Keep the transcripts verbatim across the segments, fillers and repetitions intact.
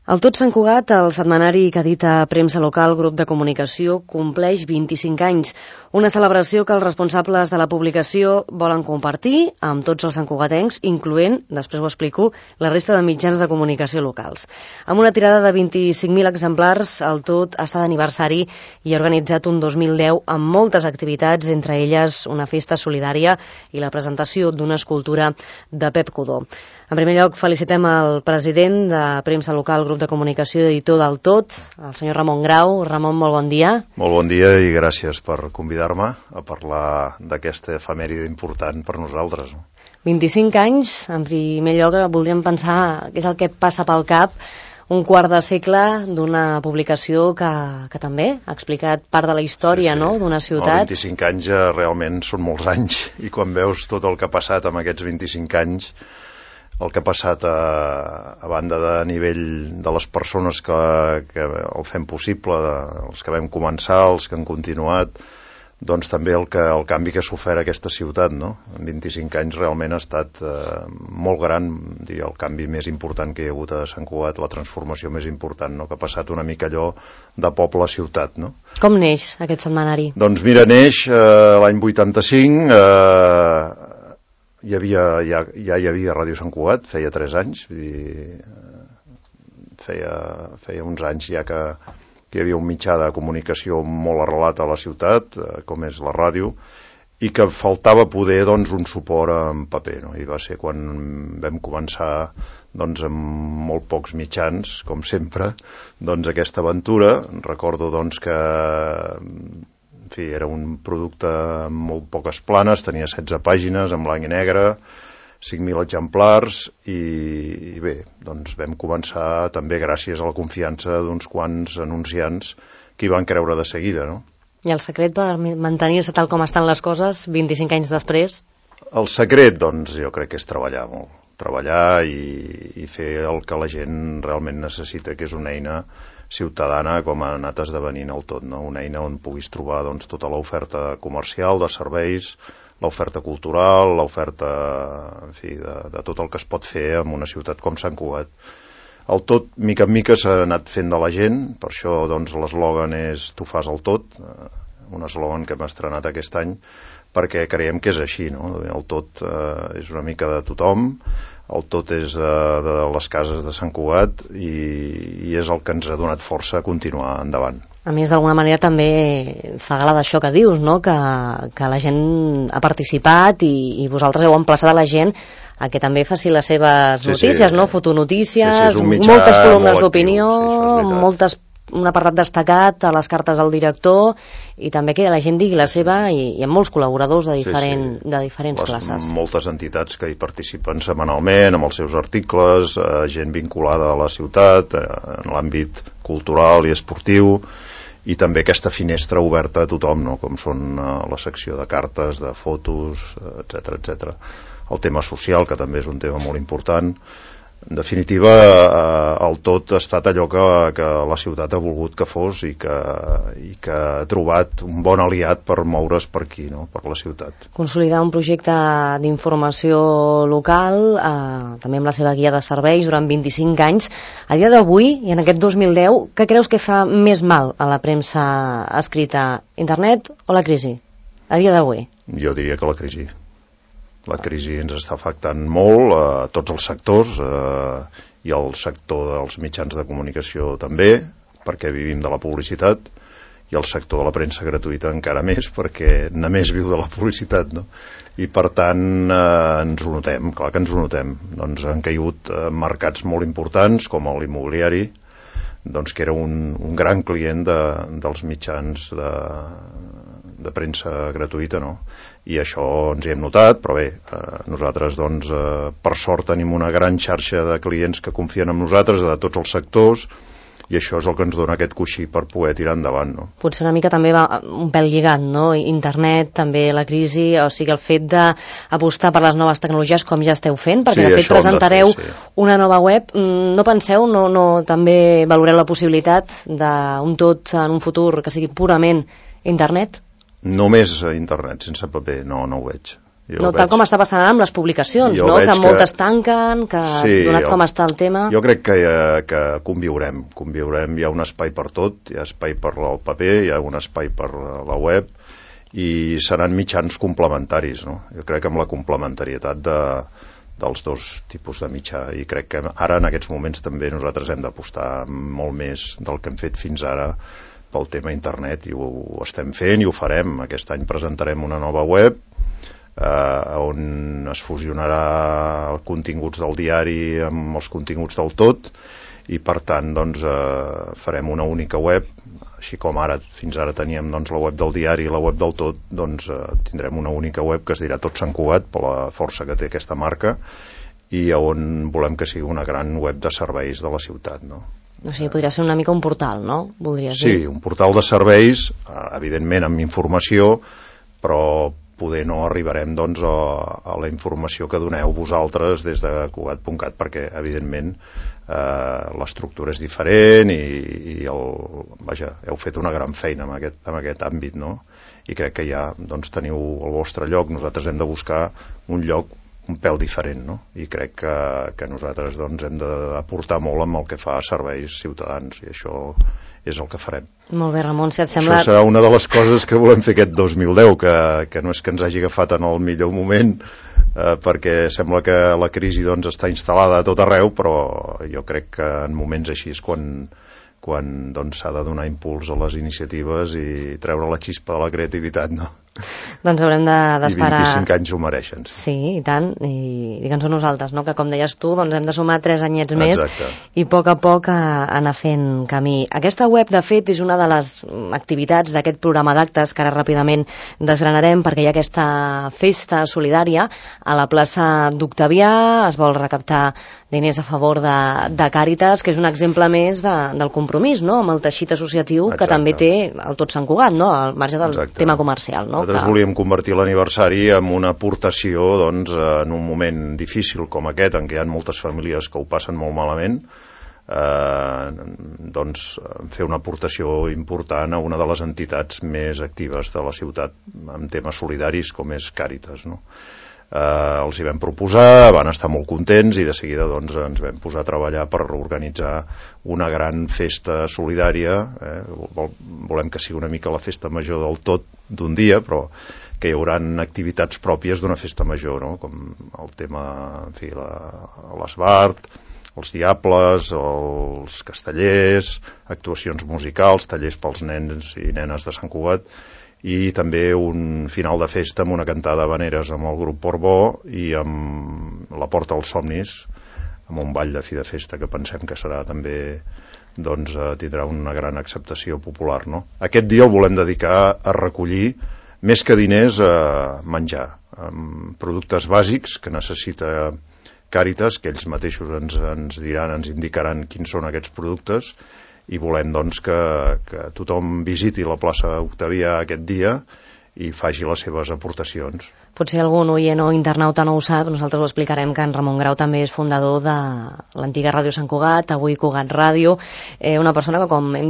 El Tot Sant Cugat, el setmanari que edita Premsa Local, grup de comunicació, compleix vint-i-cinc anys. Una celebració que els responsables de la publicació volen compartir amb tots els santcugatencs, incloent, després ho explico, la resta de mitjans de comunicació locals. Amb una tirada de vint-i-cinc mil exemplars, el Tot està d'aniversari i ha organitzat un dos mil deu amb moltes activitats, entre elles una festa solidària i la presentació d'una escultura de Pep Codó. En primer lloc, felicitem el president de Premsa Local, grup de comunicació i editor del Tot, el senyor Ramon Grau. Ramon, molt bon dia. Molt bon dia i gràcies per convidar-me a parlar d'aquesta efemèride important per nosaltres. vint-i-cinc anys, en primer lloc voldríem pensar què és el que passa pel cap un quart de segle d'una publicació que, que també ha explicat part de la història, sí, sí. No? D'una ciutat. No, vint-i-cinc anys ja realment són molts anys i quan veus tot el que ha passat amb aquests vint-i-cinc anys, el que ha passat a, a banda de nivell de les persones que, que el fem possible, els que vam començar, els que han continuat, doncs també el, que, el canvi que ha sofert aquesta ciutat, no? En vint-i-cinc anys realment ha estat eh, molt gran, diria, el canvi més important que hi ha hagut a Sant Cugat, la transformació més important, no? Que ha passat una mica allò de poble a ciutat, no? Com neix aquest setmanari? Doncs mira, neix eh, l'any vuitanta-cinc, eh, Hi havia, ja, ja hi havia Ràdio Sant Cugat, feia tres anys, vull dir, feia, feia uns anys ja que, que hi havia un mitjà de comunicació molt arrelat a la ciutat, com és la ràdio, i que faltava poder, doncs, un suport en paper, no? I va ser quan vam començar, doncs, amb molt pocs mitjans, com sempre, doncs, aquesta aventura. Recordo, doncs, que en fi, era un producte amb molt poques planes, tenia setze pàgines en blanc i negre, cinc mil exemplars i, i bé, doncs vam començar també gràcies a la confiança d'uns quants anunciants que hi van creure de seguida, no? I el secret per mantenir-se tal com estan les coses vint-i-cinc anys després? El secret, doncs, jo crec que és treballar molt. Treballar i, i fer el que la gent realment necessita, que és una eina ciutadana com ha anat esdevenint el Tot, no? Una eina on puguis trobar, doncs, tota l'oferta comercial de serveis, l'oferta cultural, l'oferta, en fi, de, de tot el que es pot fer en una ciutat com Sant Cugat. El Tot, mica en mica, s'ha anat fent de la gent, per això, doncs, l'eslògan és Tu fas el tot, un eslògan que hem estrenat aquest any, perquè creiem que és així, no? El Tot eh, és una mica de tothom, el Tot és de, de les cases de Sant Cugat i, i és el que ens ha donat força a continuar endavant. A més, d'alguna manera també fa gala d'això que dius, no? Que, que la gent ha participat i, i vosaltres heu emplaçat a la gent a que també faci les seves sí, notícies, sí, no? Fotonotícies, sí, sí, moltes columnes d'opinió, sí, moltes, un apartat destacat a les cartes del director i també que la gent digui la seva i, i amb molts col·laboradors de, diferent, sí, sí. de diferents les, classes. Moltes entitats que hi participen setmanalment amb els seus articles, eh, gent vinculada a la ciutat, eh, en l'àmbit cultural i esportiu, i també aquesta finestra oberta a tothom, no? Com són eh, la secció de cartes, de fotos, etcètera, etcètera. El tema social, que també és un tema molt important. En definitiva, eh, el Tot ha estat allò que, que la ciutat ha volgut que fos i que, i que ha trobat un bon aliat per moure's per aquí, no? Per la ciutat. Consolidar un projecte d'informació local, eh, també amb la seva guia de serveis durant vint-i-cinc anys. A dia d'avui, i en aquest dos mil deu, què creus que fa més mal a la premsa escrita? Internet o la crisi? A dia d'avui? Jo diria que la crisi. La crisi ens està afectant molt a tots els sectors eh, i al sector dels mitjans de comunicació també, perquè vivim de la publicitat, i el sector de la premsa gratuïta encara més, perquè només viu de la publicitat, no? I per tant eh, ens ho notem, clar que ens ho notem. Doncs han caigut eh, mercats molt importants com l'immobiliari, doncs que era un, un gran client de, dels mitjans de, de premsa gratuïta, no? I això ens hi hem notat, però bé, eh, nosaltres, doncs, eh, per sort tenim una gran xarxa de clients que confien en nosaltres, de tots els sectors, i això és el que ens dona aquest coixí per poder tirar endavant, no? Potser una mica també va un pèl lligat, no? Internet, també la crisi, o sigui, el fet d'apostar per les noves tecnologies com ja esteu fent, perquè sí, de fet presentareu de fer, sí. una nova web. No penseu, no, no també valoreu la possibilitat d'un Tot en un futur que sigui purament internet? Només internet, sense paper, no, no ho veig. No, tal com està passant ara amb les publicacions, no? Que moltes tanquen, que donat com està el tema... Jo crec que, que conviurem, conviurem, hi ha un espai per tot, hi ha espai per el paper, hi ha un espai per la web, i seran mitjans complementaris, no? Jo crec que amb la complementarietat de, dels dos tipus de mitjà, i crec que ara en aquests moments també nosaltres hem d'apostar molt més del que hem fet fins ara pel tema internet, i ho, ho estem fent i ho farem. Aquest any presentarem una nova web eh, on es fusionarà els continguts del diari amb els continguts del tot, i per tant doncs, eh, farem una única web, així com ara fins ara teníem doncs, la web del diari i la web del tot, doncs eh, tindrem una única web que es dirà Tot Sant Cugat, per la força que té aquesta marca, i on volem que sigui una gran web de serveis de la ciutat, no? O sigui, podria ser una mica un portal, no? Voldries sí, dir? Un portal de serveis, evidentment amb informació, però poder no arribarem doncs, a, a la informació que doneu vosaltres des de Cugat punt cat, perquè evidentment eh, l'estructura és diferent i, i el, vaja, heu fet una gran feina en aquest, en aquest àmbit, no? I crec que ja doncs, teniu el vostre lloc. Nosaltres hem de buscar un lloc un pèl diferent, no? I crec que, que nosaltres doncs, hem d'aportar molt amb el que fa a serveis ciutadans, i això és el que farem. Molt bé, Ramon, si et sembla... Això serà una de les coses que volem fer aquest dos mil deu, que, que no és que ens hagi agafat en el millor moment, eh, perquè sembla que la crisi doncs, està instal·lada a tot arreu, però jo crec que en moments així és quan quan doncs, s'ha de donar impuls a les iniciatives i treure la xispa de la creativitat, no? Doncs haurem d'esperar... I vint-i-cinc anys ho mereixen. Sí, sí i tant, i digue'ns a nosaltres, no? Que com deies tu, doncs hem de sumar tres anyets més. Exacte. I a poc a poc a, a anar fent camí. Aquesta web, de fet, és una de les activitats d'aquest programa d'actes que ara ràpidament desgranarem, perquè hi ha aquesta festa solidària a la plaça d'Octavià, es vol recaptar diners a favor de, de Càritas, que és un exemple més de, del compromís, no?, amb el teixit associatiu. Exacte. Que també té el Tot Sant Cugat, no?, al marge del Exacte. Tema comercial, no? Nosaltres que... volíem convertir l'aniversari en una aportació, doncs, en un moment difícil com aquest, en què hi ha moltes famílies que ho passen molt malament, eh, doncs fer una aportació important a una de les entitats més actives de la ciutat en temes solidaris com és Càritas, no? Eh, els hi vam proposar, van estar molt contents i de seguida doncs, ens vam posar a treballar per organitzar una gran festa solidària. eh? Volem que sigui una mica la festa major del tot d'un dia, però que hi haurà activitats pròpies d'una festa major, no? Com el tema, en fi, l'Esbart, els Diables, els Castellers, actuacions musicals, tallers pels nens i nenes de Sant Cugat, i també un final de festa amb una cantada d'habaneres amb el grup Portbó i amb la Porta als Somnis, amb un ball de fi de festa que pensem que serà també, doncs, tindrà una gran acceptació popular, no? Aquest dia el volem dedicar a recollir, més que diners, a menjar, amb productes bàsics que necessita Càritas, que ells mateixos ens, ens diran, ens indicaran quins són aquests productes, i volem doncs, que, que tothom visiti la plaça Octavià aquest dia i faci les seves aportacions. Potser algun oient o internauta no ho sap, nosaltres ho explicarem, que en Ramon Grau també és fundador de l'antiga Ràdio Sant Cugat, avui Cugat Ràdio, eh, una persona que, com hem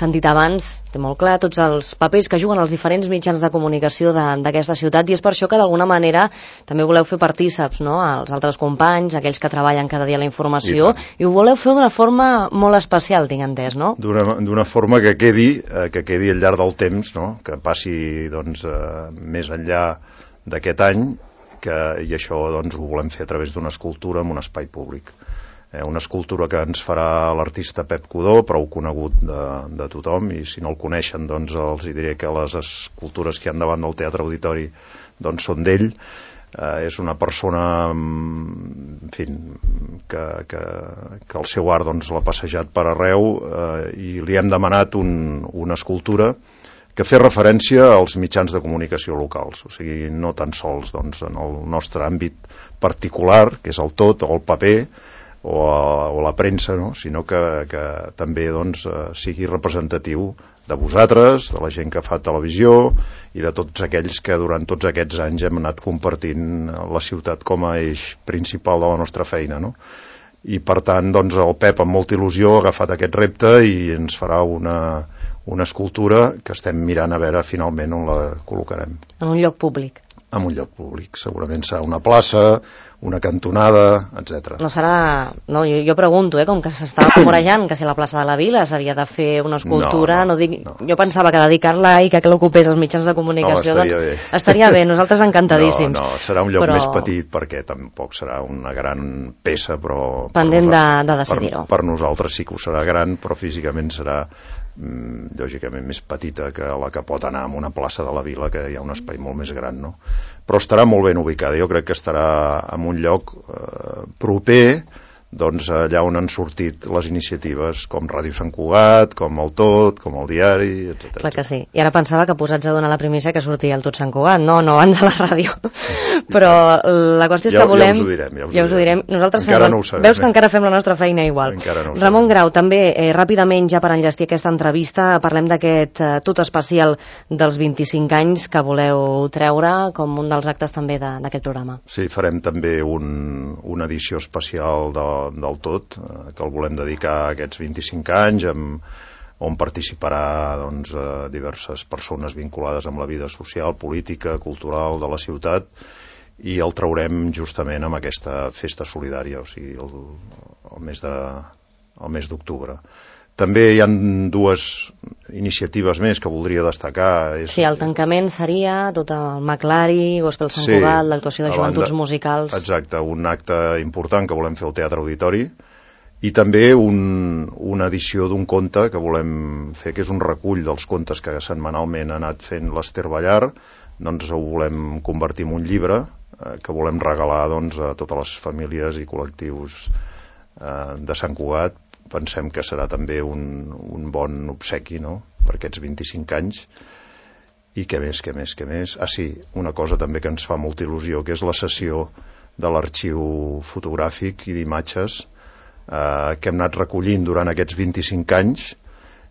sentit abans, té molt clar tots els papers que juguen els diferents mitjans de comunicació d'aquesta ciutat, i és per això que d'alguna manera també voleu fer partíceps, no?, als altres companys, aquells que treballen cada dia la informació, i, i ho voleu fer d'una forma molt especial, tinc entès, no? D'una forma que quedi, eh, que quedi al llarg del temps, no?, que passi doncs, eh, més enllà d'aquest any, que, i això doncs, ho volem fer a través d'una escultura en un espai públic. Eh, una escultura que ens farà l'artista Pep Codó, prou conegut de, de tothom, i si no el coneixen doncs els hi diré que les escultures que hi ha davant del Teatre Auditori doncs, són d'ell. Eh, és una persona, en fi, que, que, que el seu art doncs, l'ha passejat per arreu, eh, i li hem demanat un, una escultura que fer referència als mitjans de comunicació locals, o sigui, no tan sols doncs, en el nostre àmbit particular, que és el tot, o el paper, o, a, o la premsa, no? Sinó que, que també doncs, sigui representatiu de vosaltres, de la gent que fa televisió i de tots aquells que durant tots aquests anys hem anat compartint la ciutat com a eix principal de la nostra feina, no? I per tant doncs, el Pep amb molta il·lusió ha agafat aquest repte i ens farà una, una escultura que estem mirant a veure finalment on la col·locarem. En un lloc públic. en un lloc públic. Segurament serà una plaça, una cantonada, etcètera. No serà... No, jo, jo pregunto, eh, com que s'estava comorejant que si la plaça de la Vila s'havia de fer una escultura, no, no, no dic... No. Jo pensava que dedicar-la i que l'ocupés els mitjans de comunicació, no, estaria doncs bé. Estaria bé, nosaltres encantadíssims. No, no, serà un lloc però... més petit perquè tampoc serà una gran peça, però... Pendent de, de decidir-ho. Per, per nosaltres sí que ho serà gran, però físicament serà mm, lògicament més petita que la que pot anar a una plaça de la Vila, que hi ha un espai molt més gran, no? Però estarà molt ben ubicada. Jo crec que estarà en un lloc eh, proper, doncs allà on han sortit les iniciatives com Ràdio Sant Cugat, com el Tot, com el Diari, etcètera. Clar que sí. I ara pensava que posats a donar la primícia que sortia el Tot Sant Cugat. No, no, abans a la ràdio. Però la qüestió és ja, que volem... Ja us ho direm. Ja us, ja us ho direm. Nosaltres encara fem... no ho sabem. Veus que encara fem la nostra feina igual. No Ramon Grau, també, eh, ràpidament, ja per enllestir aquesta entrevista, parlem d'aquest eh, tot especial dels vint-i-cinc anys que voleu treure com un dels actes també d'aquest programa. Sí, farem també un, una edició especial de del Tot, eh, que el volem dedicar a aquests vint-i-cinc anys, amb, on participarà doncs, eh, diverses persones vinculades amb la vida social, política, cultural de la ciutat, i el traurem justament amb aquesta festa solidària, o sigui, el, el mes de, el mes d'octubre. També hi ha dues iniciatives més que voldria destacar. És... Sí, el tancament seria tot el Maclari, Gospel Sant sí, Cugat, l'actuació de joventuts banda... musicals... Exacte, un acte important que volem fer al Teatre Auditori, i també un, una edició d'un conte que volem fer, que és un recull dels contes que setmanalment ha anat fent l'Ester Ballar, doncs ho volem convertir en un llibre eh, que volem regalar doncs, a totes les famílies i col·lectius eh, de Sant Cugat. Pensem que serà també un, un bon obsequi, no?, per aquests vint-i-cinc anys. I què més, què més, què més? Ah, sí, una cosa també que ens fa molta il·lusió, que és la sessió de l'arxiu fotogràfic i d'imatges eh, que hem anat recollint durant aquests vint-i-cinc anys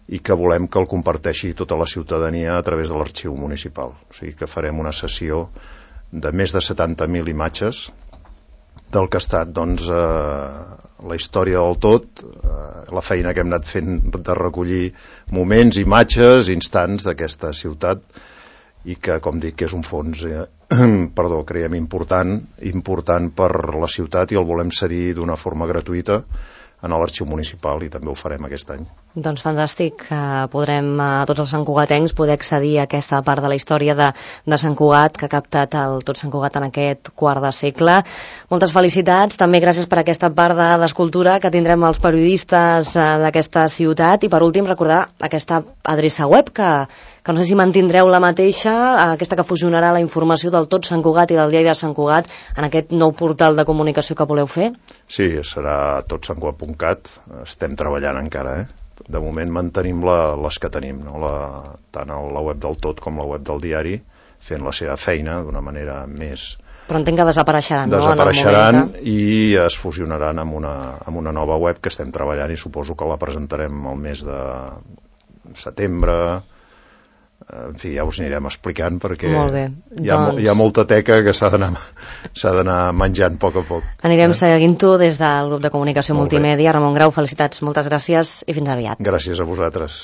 i que volem que el comparteixi tota la ciutadania a través de l'arxiu municipal. O sigui que farem una sessió de més de setanta mil imatges del que ha estat doncs, eh, la història del Tot, eh, la feina que hem anat fent de recollir moments, imatges, instants d'aquesta ciutat, i que, com dic, és un fons eh, perdó, creiem important, important per la ciutat, i el volem cedir d'una forma gratuïta en l'arxiu municipal, i també ho farem aquest any. Doncs fantàstic, eh, podrem a eh, tots els santcugatencs poder accedir a aquesta part de la història de, de Sant Cugat que ha captat el Tot Sant Cugat en aquest quart de segle. Moltes felicitats, també gràcies per aquesta part de, d'escultura que tindrem els periodistes eh, d'aquesta ciutat, i per últim recordar aquesta adreça web que, que no sé si mantindreu la mateixa, aquesta que fusionarà la informació del Tot Sant Cugat i del Diari de Sant Cugat en aquest nou portal de comunicació que voleu fer? Sí, serà tot sant cugat punt cat, estem treballant encara, eh? De moment mantenim la, les que tenim, no? la, tant la web del Tot com la web del Diari, fent la seva feina d'una manera més... Però entenc que desapareixeran, desapareixeran no? Que... i es fusionaran amb una, amb una nova web que estem treballant, i suposo que la presentarem al mes de setembre. En fi, ja us anirem explicant, perquè hi ha, doncs... hi ha molta teca que s'ha d'anar s'ha d'anar menjant a poc a poc. Anirem eh? seguint-ho des del grup de comunicació multimèdia. Ramon Grau, felicitats, moltes gràcies i fins aviat. Gràcies a vosaltres.